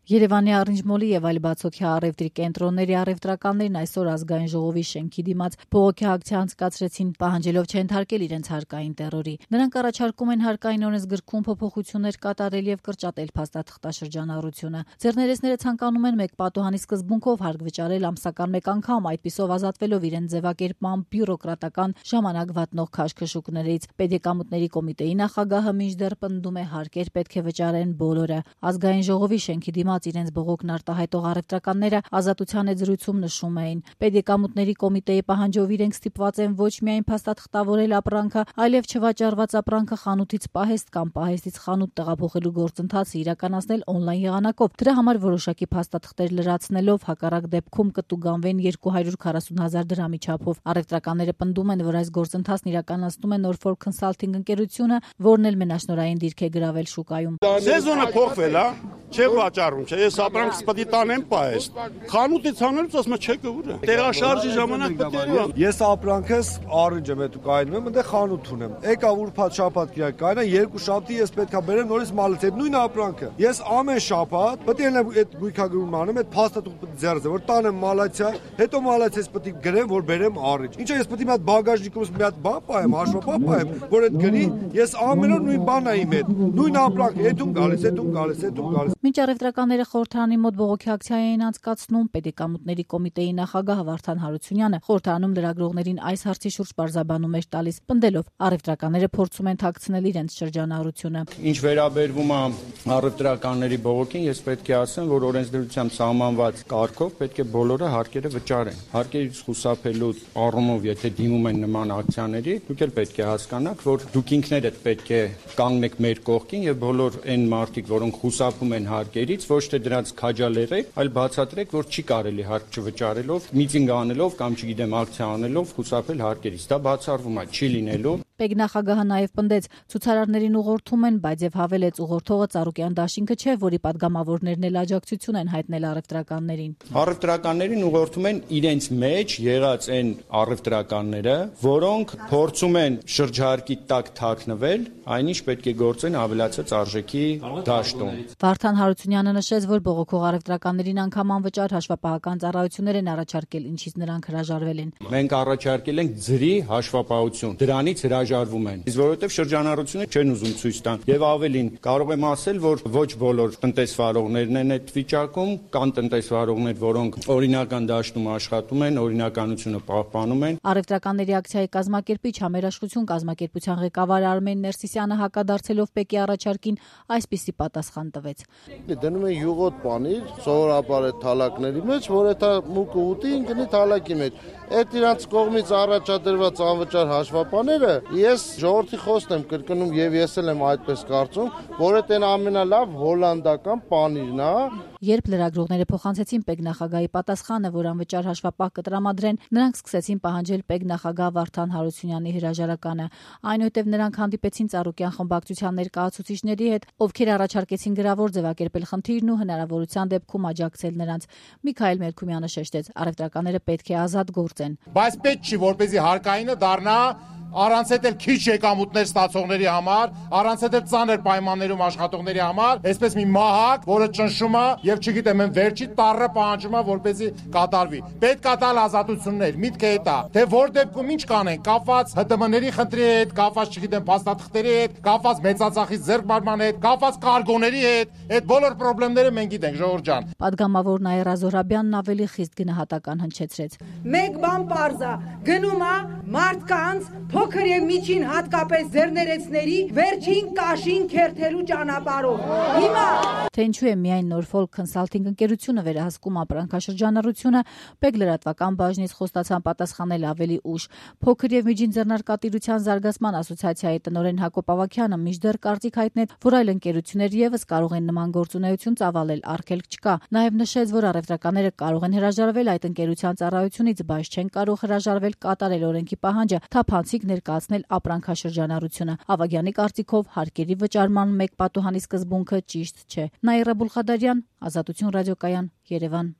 Երևանի Առնիժմոլի եւ այլ բացօթյա առևտրի կենտրոնների առևտրականներն այսօր ազգային ժողովի շենքի դիմաց բողոքի ակցիա անցկացրեցին, պահանջելով չենթարկել իրենց հարկային տերորի։ Նրանք առաջարկում են հարկային օրենսգրքում փոփոխություններ կատարել եւ կրճատել փաստաթղթաշրջանառությունը։ Ձեռներեցները ցանկանում են մեկ պատուհանի սկզբունքով հարկ վճարել ամսական մեկ անգամ, այդպիսով ազատվելով իրենց ձևակերպման բյուրոկրատական ժամանակ վատնող քաշքշուկներից։ Պետեկամուտների կոմիտեի նախագահը մինչդեռ պնդում է հարկեր պետք է վճարեն բոլորը։ Ազգային ժողովի շենքի դիմաց իրենց բողոքն արտահայտող առևտրականները Ազատության զրույցում նշում էին. Պետեկամուտների կոմիտեի պահանջով իրենք ստիպված են ոչ միայն փաստաթղթավորել ապրանքը, այլև չվաճառված ապրանքը խանութից պահեստ կամ պահեստից խանութ տեղափոխելու գործընթացը իրականացնել օնլայն եղանակով։ Դրա համար որոշակի փաստաթղթեր լրացնելով հակառակ դեպքում կտուգանվեն 240,000 դրամի չափով։ Առևտրականները պնդում են, որ այս գործընթացն իրականացնում է Norfolk Consulting ընկերությունը, որն էլ մենաշնորհային դիրք է գրավել շուկայում։ Սեզոնը փոխվել է, չէ վաճառում, չէ, ես ապրանքս պետք է տանեմ պահեստ։ Խանութից անելուց ասում չէ կուր։ Տեղաշարժի ժամանակ պետք է։ Ես ապրանքս առիջ եմ հետո կայնում եմ, այնտեղ խանութ ունեմ։ Եկա ուրբաթ շաբաթ կիրակ կայնա, երկու շաբթի ես պետքա բերեմ նորից մալից այդ նույն ապրանքը։ Ես ամեն շաբաթ պետք է այդ գույքագրումը անեմ, այդ փաստաթուղթը ձեռձ, որ տանեմ մալացիա, հետո մալացիաս պետք է գրեմ, որ բերեմ առիջ։ Ինչա ես պետք է մի հատ բագաժնիկումս մի հատ բան պահեմ, հաշվապահ պահեմ, որ այդ գրի, ես ամեն օր նույն բանն եմ իմ հետ։ Նույն ապրանքը, հետում գալիս, հետում գալիս, հետում գալիս։ Մինչ առևտրականները խորհրդարանի մոտ բողոքի ակցիա էին անցկացնում, Պետեկամուտների կոմիտեի նախագահ Վարդան Հարությունյանը խորհրդարանում լրագրողներին այս հարցի շուրջ պարզաբանում էր տալիս, պնդելով առևտրականները փորձում են թաքցնել իրենց շրջանառությունը։ Ինչ վերաբերվում է առևտրականների բողոքին, ես պետք է ասեմ, որ օրենսդրությամբ սահմանված կարգով պետք է բոլորը հարկերը վճարեն։ Հարկերից խուսափելու առումով, եթե դիմում են նման ակցիաների, դուք էլ պետք է հասկանաք, որ դուք ինքներդ պետք է կանգնեք մեր կողքին եւ բոլոր այն մարդիկ, որոնք խուսափում են հարկերից, ոչ թե դրանց քաջալերեք, այլ բացատրեք, որ չի կարելի հարկ չվճարելով, միտինգ անելով կամ չգիտեմ ակցիա անելով խուսափել հարկերից։ Դա բացառվում է, չի լինելու։ Պետնախագահը նաև պնդեց, ցուցարարներին ուղղորդում են, բայց եւ հավելեց ուղղորդողը Ծառուկյան դաշինքը չէ, որի падգամավորներն էլ աջակցություն են հայտնել առևտրականներին։ Առևտրականներին ուղղորդում են իրենց մեջ եղած այն առևտրականները, որոնք փորձում են շրջհարկի տակ թաքնվել, այնինչ պետք է գործեն ավելացած արժեքի դաշտում։ Վարդան Հարությունյանը նշեց, որ բողոքող առևտրականներին անգամ անվճար հաշվապահական ծառայություններ են առաջարկել, ինչից նրանք հրաժարվել են։ Մենք առաջարկել ենք ձրի հաշվապահություն, դրանից հրաժարվում են, իսկ որովհետև շրջանառությունը չեն ուզում ցույց տան։ Եվ ավելին, կարող եմ ասել, որ ոչ բոլոր տնտեսվարողներն են այդ վիճակում, կան տնտեսվարողներ, որոնք օրինական դաշտում աշխատում են, օրինականությունը պահպանում են։ Առևտրականների ակցիայի կազմակերպիչ Համերաշխություն կազմակերպության ղեկավար Արմեն Ներսիսյանը հակադարձելով Պեկի առաջարկին այսպիսի պատասխան տվեց։ Դնում են յուղոտ պանիր, սովորաբար այդ թալակների մեջ, որ այդ մուկը ուտի ինքնի թալակի մեջ։ Այդ իրանց կողմից առաջադրված անվճար հաշվապաները ես ժողովրդի խոսքն եմ կրկնում եւ ես էլ եմ այդպես կարծում, որ այդ ամենալավ հոլանդական պանիրն է։ Երբ լրագրողները փոխանցեցին Պետնախագահի պատասխանը, որ անվճար հաշվապահ կտրամադրեն, նրանք սկսեցին պահանջել Պետնախագահ Վարդան Հարությունյանի հրաժարականը։ Այնուհետև նրանք հանդիպեցին Ծառուկյան խմբակցության ներկայացուցիչների հետ, ովքեր առաջարկեցին գրավոր ձևակերպել խնդիրն ու հնարավորության դեպքում աջակցել նրանց։ Միքայել Մերքումյանը շեշտեց, առևտրականները պետք է ազատ գործեն։ Բայց պետք չի, որպեսզի հարկայինը դառնա առանց այդ էլ քիչ եկամուտներ ստացողների համար, առանց այդ ծանր պայմաններում աշխատողների համար, այսպես մի մահակ, որը ճնշում է եւ չգիտեմ, այն վերջի տառը պահանջում է, որպեսզի կատարվի։ Պետք է տալ ազատություններ, միտքը այդ է։ Թե որ դեպքում ինչ կանեն, կապված ՀՏՄ-ների խնդրի հետ, կապված չգիտեմ, փաստաթղթերի հետ, կապված մեծածախից ձեռքբերման հետ, կապված կարգոների հետ, այդ բոլոր խնդիրները մենք գիտենք, ժողովուրդ ջան։ Պատգամավոր Նաիրա Զոհրաբյանն ավելի խիստ գնահատական հնչեցրեց։ Մեկ բան պարզ է, գնում է մարդկանց փոքր եւ միջին հատկապես ձեռներեցների վերջին կաշին քերթելու ճանապարհով։ Հիմա թե ինչու է միայն Norfolk Consulting ընկերությունը վերահսկում ապրանքաշրջանառությունը, Պեկ լրատվական բաժնից խոստացան պատասխանել ավելի ուշ։ Փոքր եւ միջին ձեռնարկատիրության զարգացման ասոցիացիայի տնօրեն Հակոբ Ավագյանը մինչդեռ կարծիք հայտնեց, որ այլ ընկերություններ եւս կարող են նման գործունեություն ծավալել, արգելք չկա։ Նաեւ նշեց, որ առևտրականները կարող են հրաժարվել այդ ընկերության ծառայությունից, բայց չեն կարող հրաժարվել կատարել օրենքի պահանջը, թափանցիկ ներկայացնել ապրանքաշրջանառությունը։ Ավագյանի կարծիքով հարկերի վճարման մեկ պատուհանի սկզբունքը ճիշտ չէ։ Նաիրա Բուլխադարյան, Ազատություն ռադիոկայան, Երևան։